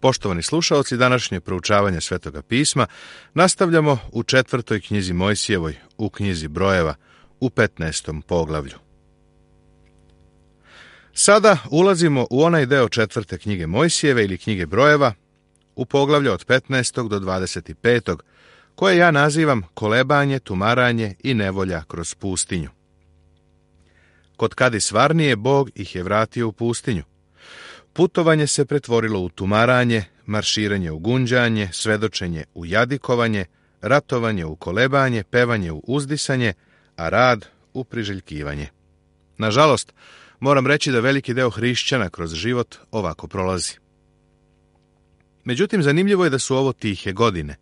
Poštovani slušaoci, današnje proučavanje Svetoga pisma nastavljamo u 4. knjizi Mojsijevoj, u knjizi Brojeva, u 15. poglavlju. Sada ulazimo u onaj deo 4. knjige Mojsijeve ili knjige Brojeva, u poglavlju od 15. do 25. koje ja nazivam kolebanje, tumaranje i nevolja kroz pustinju. Kod Kadis Varnije Bog ih je vratio u pustinju. Putovanje se pretvorilo u tumaranje, marširanje u gunđanje, svedočenje u jadikovanje, ratovanje u kolebanje, pevanje u uzdisanje, a rad u priželjkivanje. Nažalost, moram reći da veliki deo hrišćana kroz život ovako prolazi. Međutim, zanimljivo je da su ovo tihe godine.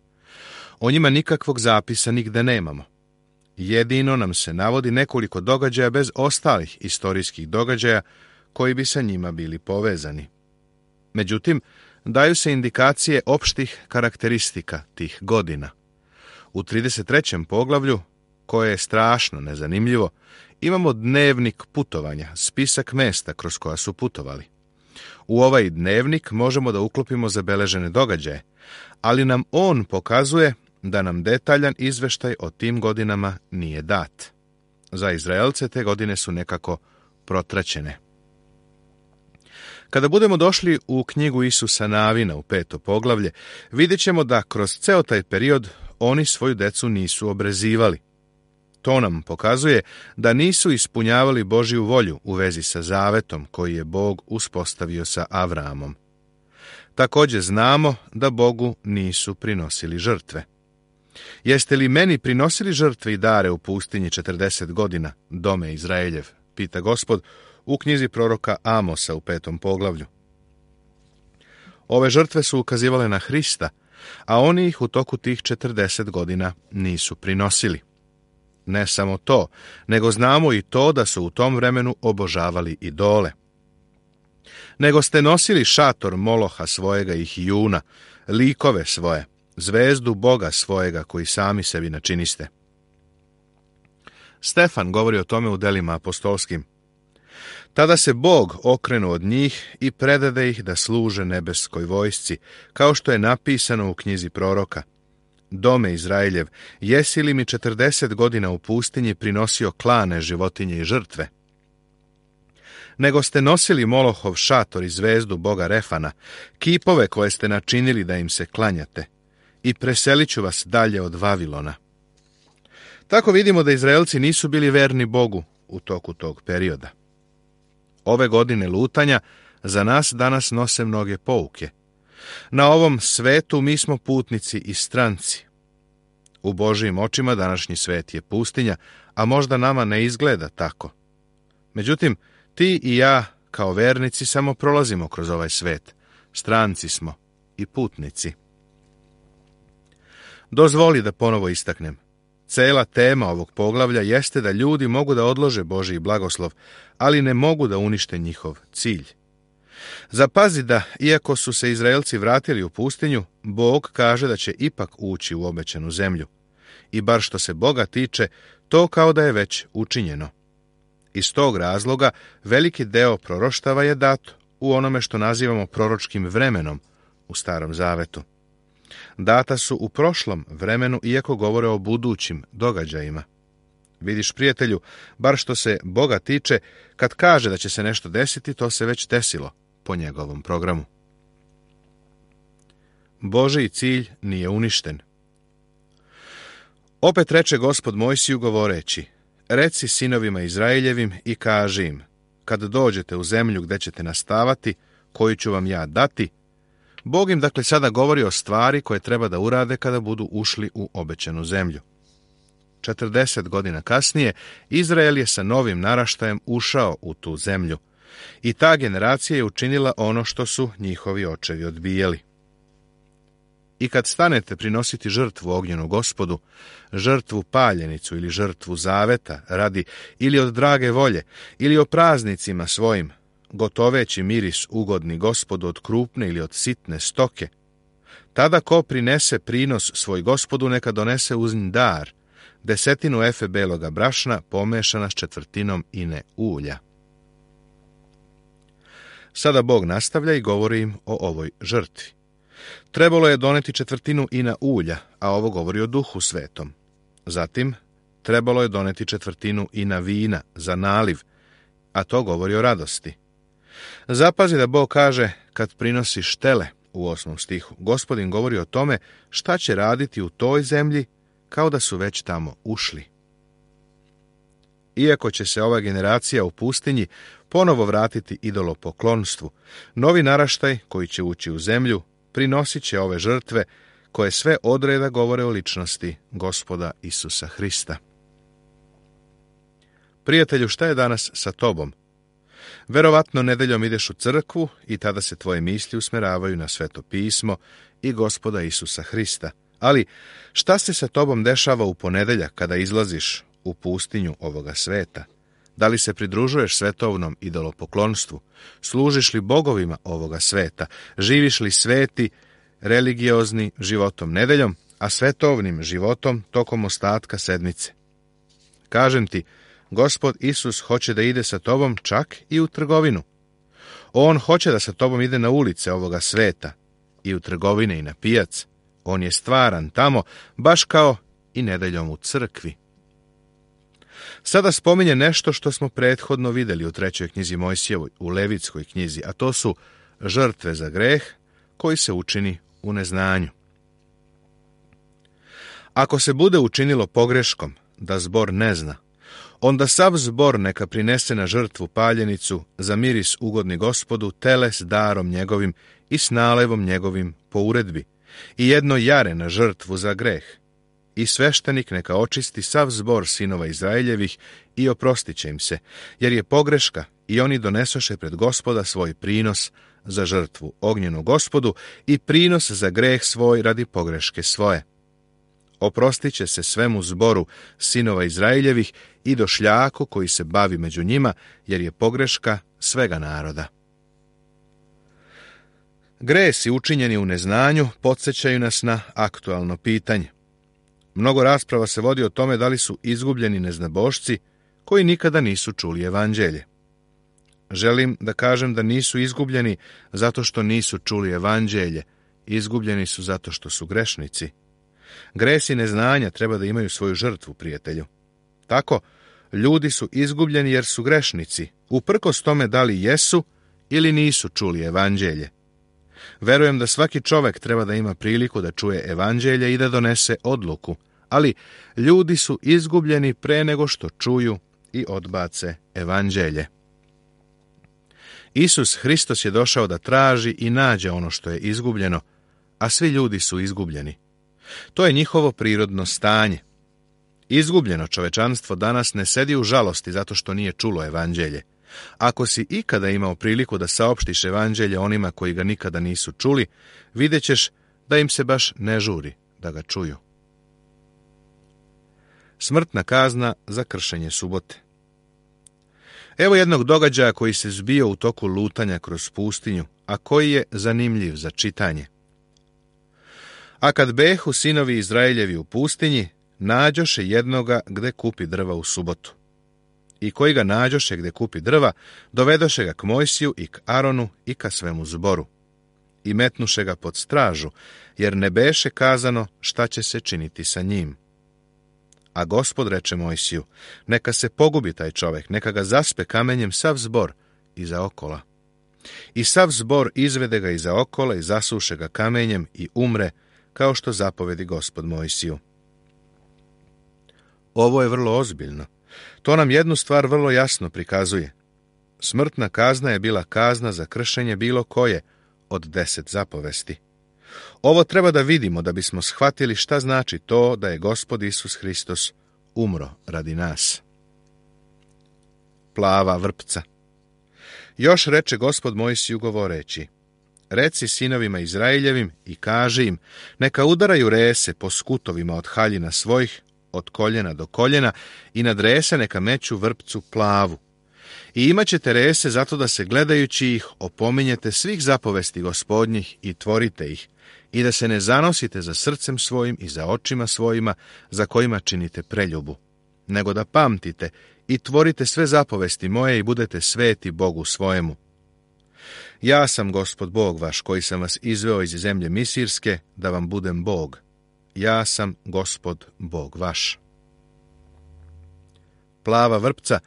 O njima nikakvog zapisa nigde nemamo. Jedino nam se navodi nekoliko događaja bez ostalih istorijskih događaja koji bi sa njima bili povezani. Međutim, daju se indikacije opštih karakteristika tih godina. U 33. poglavlju, koje je strašno nezanimljivo, imamo dnevnik putovanja, spisak mesta kroz koja su putovali. U ovaj dnevnik možemo da uklopimo zabeležene događaje, ali nam on pokazuje da nam detaljan izveštaj o tim godinama nije dat. Za Izraelce te godine su nekako protraćene. Kada budemo došli u knjigu Isusa Navina u 5. poglavlje, vidjet ćemo da kroz ceo taj period oni svoju decu nisu obrezivali. To nam pokazuje da nisu ispunjavali Božju volju u vezi sa zavetom koji je Bog uspostavio sa Avraamom. Također znamo da Bogu nisu prinosili žrtve. Jeste li meni prinosili žrtve i dare u pustinji 40 godina, dome Izraeljev, pita Gospod u knjizi proroka Amosa u 5. poglavlju. Ove žrtve su ukazivale na Hrista, a oni ih u toku tih 40 godina nisu prinosili. Ne samo to, nego znamo i to da su u tom vremenu obožavali idole. Nego ste nosili šator Moloha svojega i Hijuna, likove svoje, zvezdu Boga svojega koji sami sebi načiniste. Stefan govori o tome u delima apostolskim. Tada se Bog okrenu od njih i predade ih da služe nebeskoj vojsci, kao što je napisano u knjizi proroka. Dome Izraeljev, jesi li mi 40 godina u pustinji prinosio klane, životinje i žrtve? Nego ste nosili Molohov šator i zvezdu Boga Refana, kipove koje ste načinili da im se klanjate, i preselit ću vas dalje od Vavilona. Tako vidimo da Izraelci nisu bili verni Bogu u toku tog perioda. Ove godine lutanja za nas danas nose mnoge pouke. Na ovom svetu mi smo putnici i stranci. U Božijim očima današnji svet je pustinja, a možda nama ne izgleda tako. Međutim, ti i ja, kao vernici, samo prolazimo kroz ovaj svet. Stranci smo i putnici. Dozvoli da ponovo istaknem. Cela tema ovog poglavlja jeste da ljudi mogu da odlože Božji blagoslov, ali ne mogu da unište njihov cilj. Zapazi da, iako su se Izraelci vratili u pustinju, Bog kaže da će ipak ući u obećanu zemlju. I bar što se Boga tiče, to kao da je već učinjeno. Iz tog razloga veliki deo proroštava je dat u onome što nazivamo proročkim vremenom u Starom Zavetu. Data su u prošlom vremenu, iako govore o budućim događajima. Vidiš, prijatelju, bar što se Boga tiče, kad kaže da će se nešto desiti, to se već desilo po njegovom programu. Božji cilj nije uništen. Opet reče Gospod Mojsiju govoreći, reci sinovima Izraeljevim i kaži im, kad dođete u zemlju gde ćete nastavati, koju ću vam ja dati, Bog im dakle sada govori o stvari koje treba da urade kada budu ušli u obećanu zemlju. 40 godina kasnije, Izrael je sa novim naraštajem ušao u tu zemlju i ta generacija je učinila ono što su njihovi očevi odbijali. I kad stanete prinositi žrtvu ognjenu Gospodu, žrtvu paljenicu ili žrtvu zaveta radi ili od drage volje ili o praznicima svojim, gotoveći miris ugodni Gospodu od krupne ili od sitne stoke, tada ko prinese prinos svoj Gospodu neka donese uz nj dar, 10 efe beloga brašna pomešana s 1/4 ine ulja. Sada Bog nastavlja i govori im o ovoj žrtvi. Trebalo je doneti 1/4 ina ulja, a ovo govori o Duhu Svetom. Zatim, trebalo je doneti 1/4 ina vina za naliv, a to govori o radosti. Zapazi da Bog kaže kad prinosiš tele u 8. stihu. Gospodin govori o tome šta će raditi u toj zemlji kao da su već tamo ušli. Iako će se ova generacija u pustinji ponovo vratiti idolopoklonstvu, novi naraštaj koji će ući u zemlju prinosit će ove žrtve koje sve odreda govore o ličnosti Gospoda Isusa Hrista. Prijatelju, šta je danas sa tobom? Verovatno nedeljom ideš u crkvu i tada se tvoje misli usmeravaju na Sveto pismo i Gospoda Isusa Hrista. Ali šta se sa tobom dešava u ponedeljak kada izlaziš u pustinju ovoga sveta? Da li se pridružuješ svetovnom idolopoklonstvu? Služiš li bogovima ovoga sveta? Živiš li sveti, religiozni životom nedeljom, a svetovnim životom tokom ostatka sedmice? Kažem ti, Gospod Isus hoće da ide sa tobom čak i u trgovinu. On hoće da sa tobom ide na ulice ovoga sveta, i u trgovine i na pijac. On je stvaran tamo, baš kao i nedeljom u crkvi. Sada spominje nešto što smo prethodno vidjeli u 3. knjizi Mojsijevoj, u Levitskoj knjizi, a to su žrtve za greh koji se učini u neznanju. Ako se bude učinilo pogreškom da zbor ne zna, onda sav zbor neka prinese na žrtvu paljenicu za miris ugodni Gospodu, tele s darom njegovim i s nalevom njegovim po uredbi, i jedno jare na žrtvu za greh. I sveštenik neka očisti sav zbor sinova Izraeljevih i oprostit će im se, jer je pogreška, i oni donesoše pred Gospoda svoj prinos za žrtvu ognjenu Gospodu i prinos za greh svoj radi pogreške svoje. Oprostit će se svemu zboru sinova Izraeljevih i došljaku koji se bavi među njima, jer je pogreška svega naroda. Gresi učinjeni u neznanju podsjećaju nas na aktualno pitanje. Mnogo rasprava se vodi o tome da li su izgubljeni neznabošci koji nikada nisu čuli evanđelje. Želim da kažem da nisu izgubljeni zato što nisu čuli evanđelje, izgubljeni su zato što su grešnici. Gresi neznanja treba da imaju svoju žrtvu, prijatelju. Tako, ljudi su izgubljeni jer su grešnici, uprkos tome da li jesu ili nisu čuli evanđelje. Verujem da svaki čovek treba da ima priliku da čuje evanđelje i da donese odluku, ali ljudi su izgubljeni pre nego što čuju i odbace evanđelje. Isus Hristos je došao da traži i nađe ono što je izgubljeno, a svi ljudi su izgubljeni. To je njihovo prirodno stanje. Izgubljeno čovečanstvo danas ne sedi u žalosti zato što nije čulo evanđelje. Ako si ikada imao priliku da saopštiš evanđelje onima koji ga nikada nisu čuli, vidjet ćeš da im se baš ne žuri da ga čuju. Smrtna kazna za kršenje subote. Evo jednog događaja koji se zbio u toku lutanja kroz pustinju, a koji je zanimljiv za čitanje. A kad behu sinovi Izraeljevi u pustinji, nađoše jednoga gde kupi drva u subotu. I koji ga nađoše gde kupi drva, dovedoše ga k Mojsiju i k Aronu i ka svemu zboru. I metnuše ga pod stražu, jer ne beše kazano šta će se činiti sa njim. A Gospod reče Mojsiju, neka se pogubi taj čovek, neka ga zaspe kamenjem sav zbor iza okola. I sav zbor izvede ga iza okola i zasuše ga kamenjem i umre, kao što zapovedi Gospod Mojsiju. Ovo je vrlo ozbiljno. To nam jednu stvar vrlo jasno prikazuje. Smrtna kazna je bila kazna za kršenje bilo koje od 10 zapovesti. Ovo treba da vidimo da bismo shvatili šta znači to da je Gospod Isus Hristos umro radi nas. Plava vrpca. Još reče Gospod Mojsiju govoreći, reci sinovima Izraeljevim i kaži im, neka udaraju rese po skutovima od haljina svojih, od koljena do koljena, i nad rese neka meću vrpcu plavu. I imat ćete rese zato da se gledajući ih opominjete svih zapovesti Gospodnjih i tvorite ih, i da se ne zanosite za srcem svojim i za očima svojima za kojima činite preljubu, nego da pamtite i tvorite sve zapovesti moje i budete sveti Bogu svojemu. Ja sam Gospod Bog vaš, koji sam vas izveo iz zemlje Misirske, da vam budem Bog. Ja sam Gospod Bog vaš. Plava vrpca,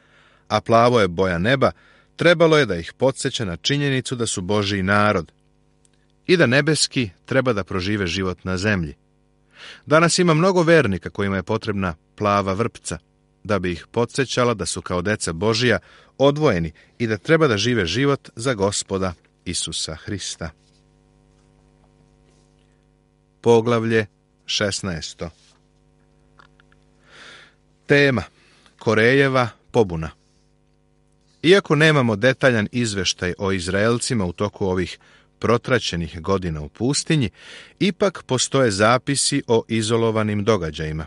a plavo je boja neba, trebalo je da ih podsjeća na činjenicu da su Božji narod i da nebeski treba da prožive život na zemlji. Danas ima mnogo vernika kojima je potrebna plava vrpca, da bi ih podsjećala da su kao deca Božija odvojeni i da treba da žive život za Gospoda Isusa Hrista. Poglavlje 16. Tema: Korejeva pobuna. Iako nemamo detaljan izveštaj o Izraelcima u toku ovih protraćenih godina u pustinji, ipak postoje zapisi o izolovanim događajima.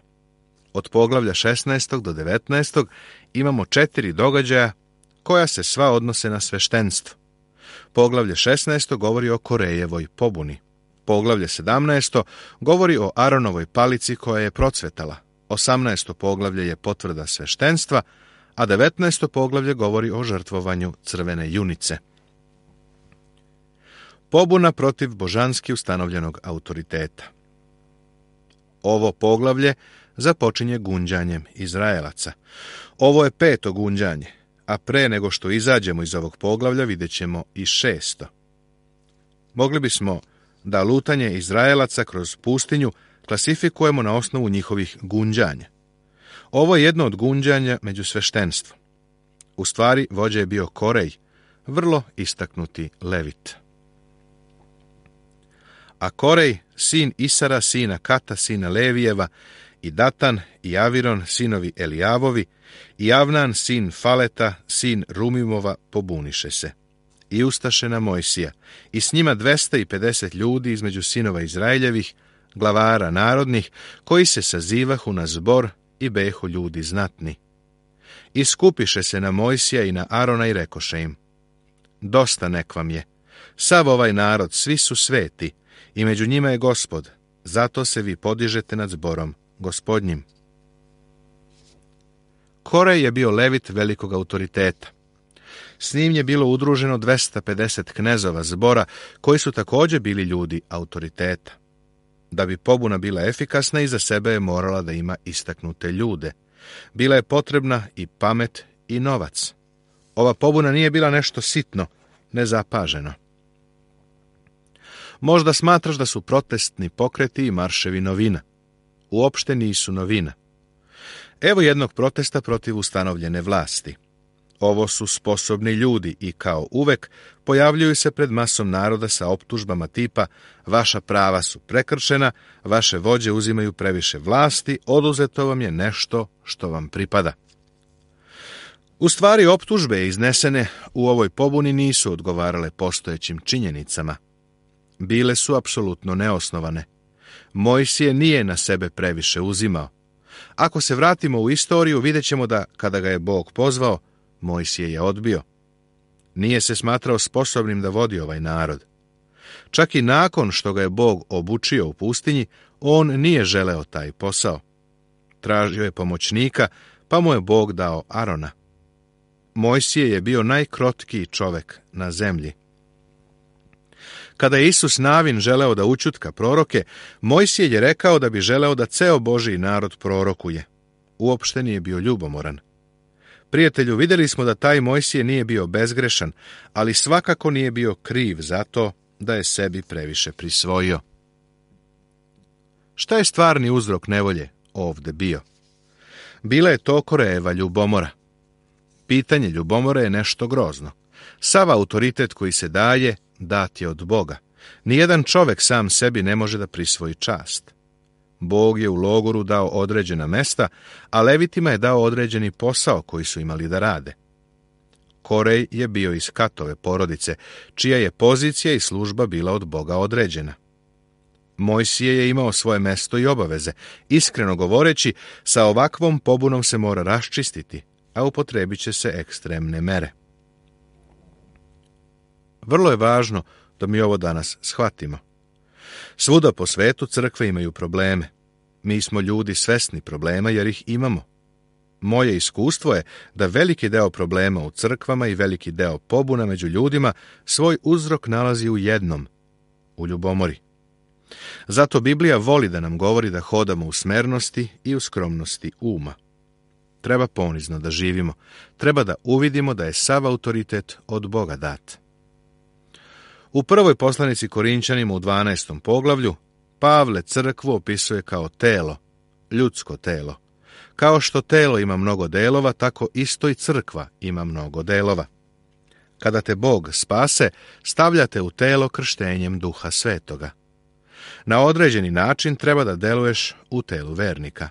Od poglavlja 16. do 19. imamo 4 događaja koja se sva odnose na sveštenstvo. Poglavlje 16. govori o Korejevoj pobuni. Poglavlje 17. govori o Aronovoj palici koja je procvetala. 18. poglavlje je potvrda sveštenstva, a 19. poglavlje govori o žrtvovanju crvene junice. Pobuna protiv božanski ustanovljenog autoriteta. Ovo poglavlje započinje gunđanjem Izraelaca. Ovo je 5. gunđanje, a pre nego što izađemo iz ovog poglavlja vidjet ćemo i 6. Mogli bismo da lutanje Izraelaca kroz pustinju klasifikujemo na osnovu njihovih gunđanja. Ovo je jedno od gunđanja među sveštenstvom. U stvari, vođa je bio Korej, vrlo istaknuti levit. A Korej, sin Isara, sina Kata, sina Levijeva, i Datan i Aviron, sinovi Elijavovi, i Avnan, sin Faleta, sin Rumimova, pobuniše se. I ustaše na Mojsija, i s njima 250 ljudi između sinova Izraeljevih, glavara narodnih, koji se sazivahu na zbor i behu ljudi znatni. I skupiše se na Mojsija i na Arona i rekoše im: Dosta nek vam je, sav ovaj narod, svi su sveti, i među njima je Gospod, zato se vi podižete nad zborom Gospodnjim. Korej je bio levit velikog autoriteta. S njim je bilo udruženo 250 knezova zbora, koji su također bili ljudi autoriteta. Da bi pobuna bila efikasna, iza sebe je morala da ima istaknute ljude. Bila je potrebna i pamet i novac. Ova pobuna nije bila nešto sitno, nezapaženo. Možda smatraš da su protestni pokreti i marševi novina. Uopšte nisu novina. Evo jednog protesta protiv ustanovljene vlasti. Ovo su sposobni ljudi i kao uvek pojavljuju se pred masom naroda sa optužbama tipa: vaša prava su prekršena, vaše vođe uzimaju previše vlasti, oduzeto vam je nešto što vam pripada. U stvari, optužbe iznesene u ovoj pobuni nisu odgovarale postojećim činjenicama. Bile su apsolutno neosnovane. Mojsije nije na sebe previše uzimao. Ako se vratimo u istoriju, vidjet ćemo da kada ga je Bog pozvao, Mojsije je odbio. Nije se smatrao sposobnim da vodi ovaj narod. Čak i nakon što ga je Bog obučio u pustinji, on nije želeo taj posao. Tražio je pomoćnika, pa mu je Bog dao Arona. Mojsije je bio najkrotkiji čovek na zemlji. Kada je Isus Navin želeo da ućutka proroke, Mojsije je rekao da bi želeo da ceo Božji narod prorokuje. Uopšte nije bio ljubomoran. Prijatelju, vidjeli smo da taj Mojsije nije bio bezgrešan, ali svakako nije bio kriv za to da je sebi previše prisvojio. Šta je stvarni uzrok nevolje ovde bio? Bila je to Korejeva ljubomora. Pitanje ljubomore je nešto grozno. Sav autoritet koji se daje, dat je od Boga. Nijedan čovek sam sebi ne može da prisvoji čast. Bog je u logoru dao određena mesta, a levitima je dao određeni posao koji su imali da rade. Korej je bio iz Katove porodice, čija je pozicija i služba bila od Boga određena. Mojsije je imao svoje mesto i obaveze. Iskreno govoreći, sa ovakvom pobunom se mora raščistiti, a upotrebit će se ekstremne mere. Vrlo je važno da mi ovo danas shvatimo. Svuda po svetu crkve imaju probleme. Mi smo ljudi svesni problema jer ih imamo. Moje iskustvo je da veliki deo problema u crkvama i veliki deo pobuna među ljudima svoj uzrok nalazi u jednom, u ljubomori. Zato Biblija voli da nam govori da hodamo u smernosti i u skromnosti uma. Treba ponizno da živimo, treba da uvidimo da je sav autoritet od Boga dat. U prvoj poslanici Korinćanima u 12. poglavlju Pavle crkvu opisuje kao telo, ljudsko telo. Kao što telo ima mnogo delova, tako isto i crkva ima mnogo delova. Kada te Bog spase, stavljate u telo krštenjem Duha Svetoga. Na određeni način treba da deluješ u telu vernika.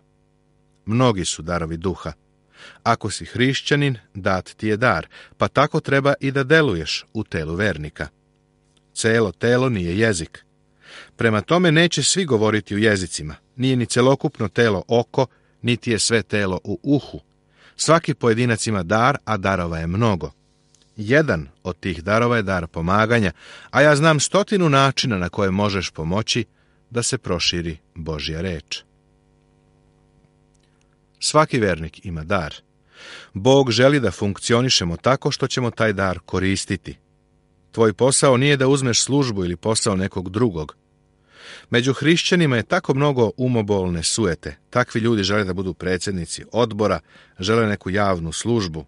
Mnogi su darovi duha. Ako si hrišćanin, dat ti je dar, pa tako treba i da deluješ u telu vernika. Celo telo nije jezik. Prema tome neće svi govoriti u jezicima. Nije ni celokupno telo oko, niti je sve telo u uhu. Svaki pojedinac ima dar, a darova je mnogo. Jedan od tih darova je dar pomaganja, a ja znam 100 načina na koje možeš pomoći da se proširi Božja reč. Svaki vernik ima dar. Bog želi da funkcionišemo tako što ćemo taj dar koristiti. Tvoj posao nije da uzmeš službu ili posao nekog drugog. Među hrišćanima je tako mnogo umobolne sujete. Takvi ljudi žele da budu predsjednici odbora, žele neku javnu službu.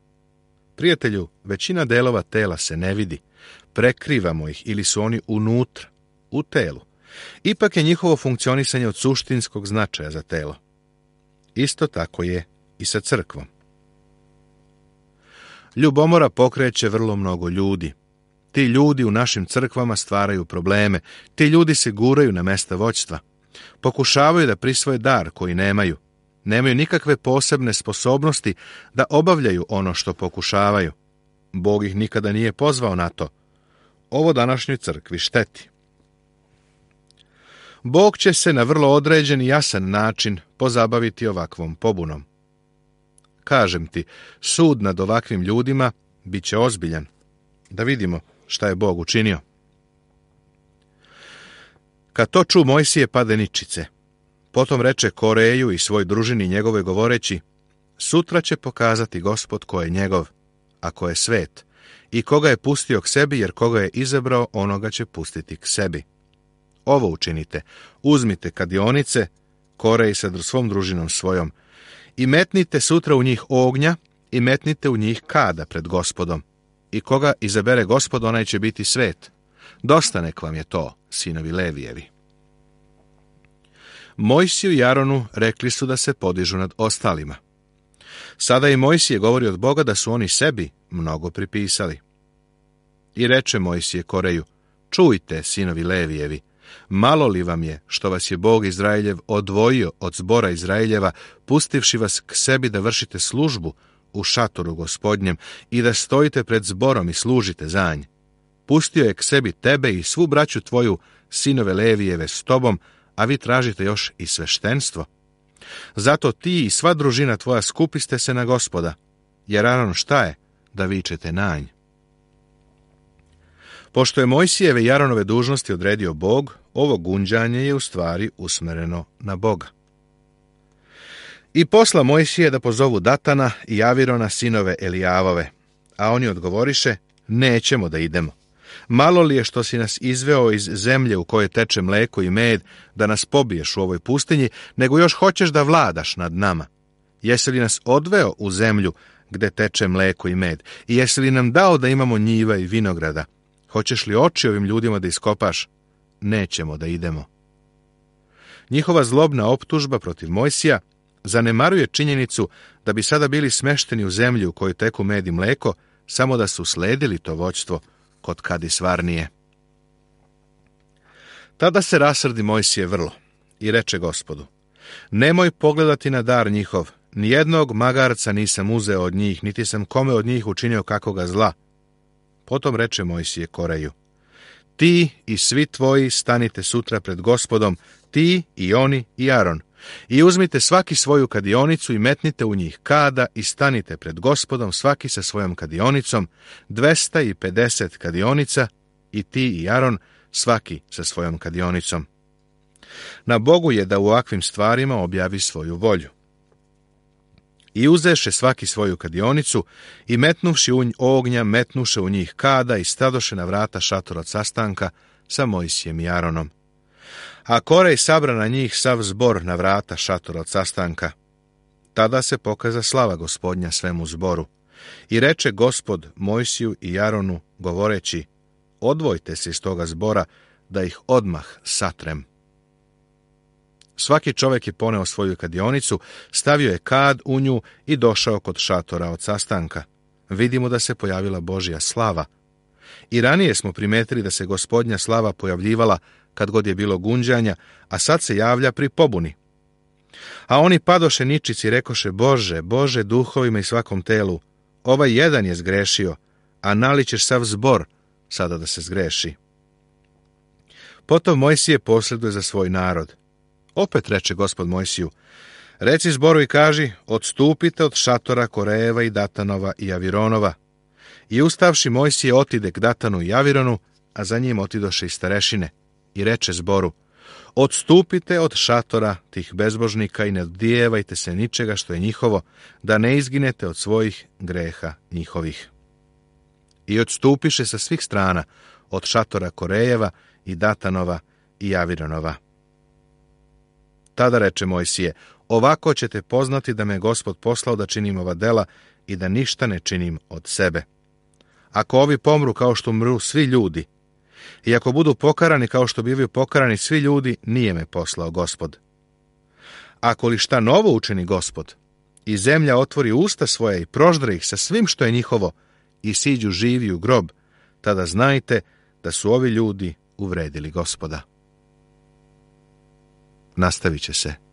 Prijatelju, većina delova tela se ne vidi. Prekrivamo ih ili su oni unutra, u telu. Ipak je njihovo funkcionisanje od suštinskog značaja za telo. Isto tako je i sa crkvom. Ljubomora pokreće vrlo mnogo ljudi. Ti ljudi u našim crkvama stvaraju probleme. Ti ljudi se guraju na mesta vođstva. Pokušavaju da prisvoje dar koji nemaju. Nemaju nikakve posebne sposobnosti da obavljaju ono što pokušavaju. Bog ih nikada nije pozvao na to. Ovo današnjoj crkvi šteti. Bog će se na vrlo određen i jasan način pozabaviti ovakvom pobunom. Kažem ti, sud nad ovakvim ljudima bit će ozbiljan. Da vidimo šta je Bog učinio. Kad to ču Mojsije pade ničice. Potom reče Koreju i svoj družini njegove govoreći, sutra će pokazati Gospod ko je njegov, a ko je svet, i koga je pustio k sebi, jer koga je izabrao, onoga će pustiti k sebi. Ovo učinite, uzmite kadionice, Korej sa svom družinom svojom, i metnite sutra u njih ognja, i metnite u njih kada pred Gospodom. I koga izabere Gospod, onaj će biti svet. Dosta nek vam je to, sinovi Levijevi. Mojsiju i Aronu rekli su da se podižu nad ostalima. Sada i Mojsije govori od Boga da su oni sebi mnogo pripisali. I reče Mojsije Koreju, čujte, sinovi Levijevi, malo li vam je što vas je Bog Izraeljev odvojio od zbora Izraeljeva, pustivši vas k sebi da vršite službu u šatoru Gospodnjem i da stojite pred zborom i služite za nj. Pustio je k sebi tebe i svu braću tvoju, sinove Levijeve, s tobom, a vi tražite još i sveštenstvo. Zato ti i sva družina tvoja skupiste se na Gospoda, jer Aron šta je da vičete na nj? Pošto je Mojsijeve i Aronove dužnosti odredio Bog, ovo gunđanje je u stvari usmereno na Boga. I posla Mojsije da pozovu Datana i Avirona, sinove Elijavove, a oni odgovoriše, nećemo da idemo. Malo li je što si nas izveo iz zemlje u kojoj teče mleko i med, da nas pobiješ u ovoj pustinji, nego još hoćeš da vladaš nad nama? Jesi li nas odveo u zemlju gde teče mleko i med? I jesi li nam dao da imamo njiva i vinograda? Hoćeš li oči ovim ljudima da iskopaš? Nećemo da idemo. Njihova zlobna optužba protiv Mojsija zanemaruje činjenicu da bi sada bili smešteni u zemlju u kojoj teku med i mleko, samo da su sledili to vođstvo kod Kadis Varnije. Tada se rasrdi Mojsije vrlo i reče Gospodu, nemoj pogledati na dar njihov, nijednog magarca nisam uzeo od njih, niti sam kome od njih učinio kakoga zla. Potom reče Mojsije Koreju, ti i svi tvoji stanite sutra pred Gospodom, ti i oni i Aron, i uzmite svaki svoju kadionicu i metnite u njih kada i stanite pred Gospodom svaki sa svojom kadionicom, 250 kadionica, i ti i Aron svaki sa svojom kadionicom. Na Bogu je da u ovakvim stvarima objavi svoju volju. I uzeše svaki svoju kadionicu i metnuvši ognja, metnuše u njih kada i stadoše na vrata šatora od sastanka sa Mojsijem i Aronom. A Korej sabra na njih sav zbor na vrata šatora od sastanka. Tada se pokaza slava Gospodnja svemu zboru. I reče Gospod Mojsiju i Aronu, govoreći, odvojte se iz toga zbora, da ih odmah satrem. Svaki čovjek je poneo svoju kadionicu, stavio je kad u nju i došao kod šatora od sastanka. Vidimo da se pojavila Božja slava. I ranije smo primetili da se Gospodnja slava pojavljivala kad god je bilo gunđanja, a sad se javlja pri pobuni. A oni padoše ničici i rekoše, Bože, Bože, duhovima i svakom telu, ovaj jedan je zgrešio, a nalićeš sav zbor sada da se zgreši. Potom Mojsije posreduje za svoj narod. Opet reče Gospod Mojsiju, reci zboru i kaži, odstupite od šatora Korejeva i Datanova i Avironova. I ustavši Mojsije otide k Datanu i Avironu, a za njim otidoše i starešine. I reče zboru, odstupite od šatora tih bezbožnika i ne odijevajte se ničega što je njihovo, da ne izginete od svojih greha njihovih. I odstupiše sa svih strana, od šatora Korejeva i Datanova i Avironova. Tada reče Mojsije, ovako ćete poznati da me Gospod poslao da činim ova dela i da ništa ne činim od sebe. Ako ovi pomru kao što umru svi ljudi, i ako budu pokarani kao što bivaju pokarani svi ljudi, nije me poslao Gospod. Ako li šta novo učini Gospod, i zemlja otvori usta svoja i proždre ih sa svim što je njihovo, i siđu živi u grob, tada znajte da su ovi ljudi uvredili Gospoda. Nastavit će se